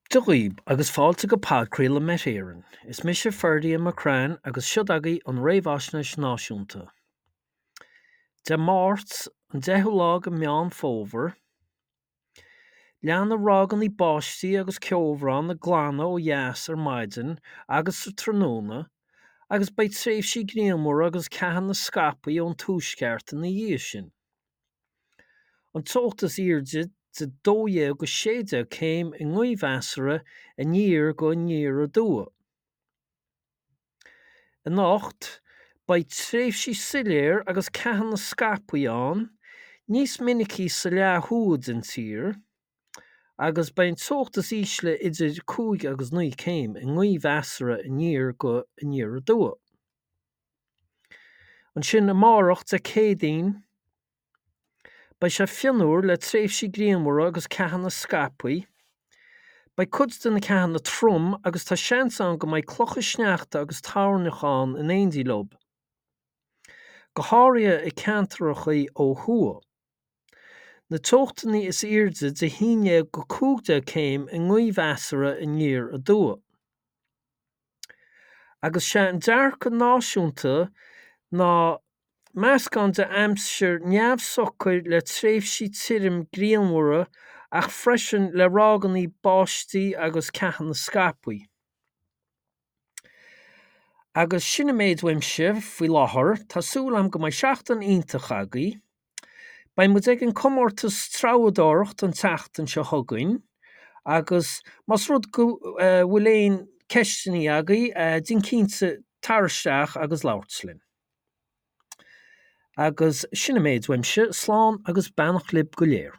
Dia dhaoib agus fáilte go podchraoladh Met Éireann. Is mise Ferdia McCrann agus siod agaibh an Réamhaisnéis Náisiúnta. Dé Máirt, an 10ú lá de Meán Fómhair, Leanfaidh ráigeanna báistí agus ceobhrán ag glanadh ó dheas ar maidin agus sa tráthnóna agus beidh tréimhsí grianmhara agus ceathanna scaipthe ón tuaisceart ina dhiaidh sin. An teocht is airde de 12 go 16 céim i ngaoth mheasartha aniar go aniar aduaidh. Anocht, beidh tréimhsí soiléir agus ceathanna scaipthe ann, níos minicí sa leath thuaidh den tír, agus beidh an teocht is ísle idir 5 agus 9 céim i ngaoth mheasartha aniar go aniar aduaidh. Ansin amárach, Dé Céadaoin, Beidh sé fionnuar le tréimhsí grianmhara agus ceathanna scaipthe. Beidh cuid de na ceathanna trom agus tá seans ann go mbeidh clocha sneachta agus toirneach ann in éindí leo, go háirithe i ceantracha ó thuaidh. Na teochtanna is airde de 11 go 15 céim i ngaoth mheasartha aniar aduaidh. Agus sé an dearcadh náisiúnta ná meascán de aimsir neamhshocair le tréimhsí tirim grianmhara ach freisin le ráigeanna báistí agus ceathanna scaipthe. Agus sin an méid uaimse faoi láthair, tá súil agam go mbeidh seachtain iontach agaibh. Beidh muid ag an comórtas treabhadóireacht an tseachtain seo chugainn agus más rud go bhfuil aon ceisteanna agaibh, déan cinnte tar isteach agus labhairt linn. Agus sin an méid uaimse, slán agus beannacht libh go léir.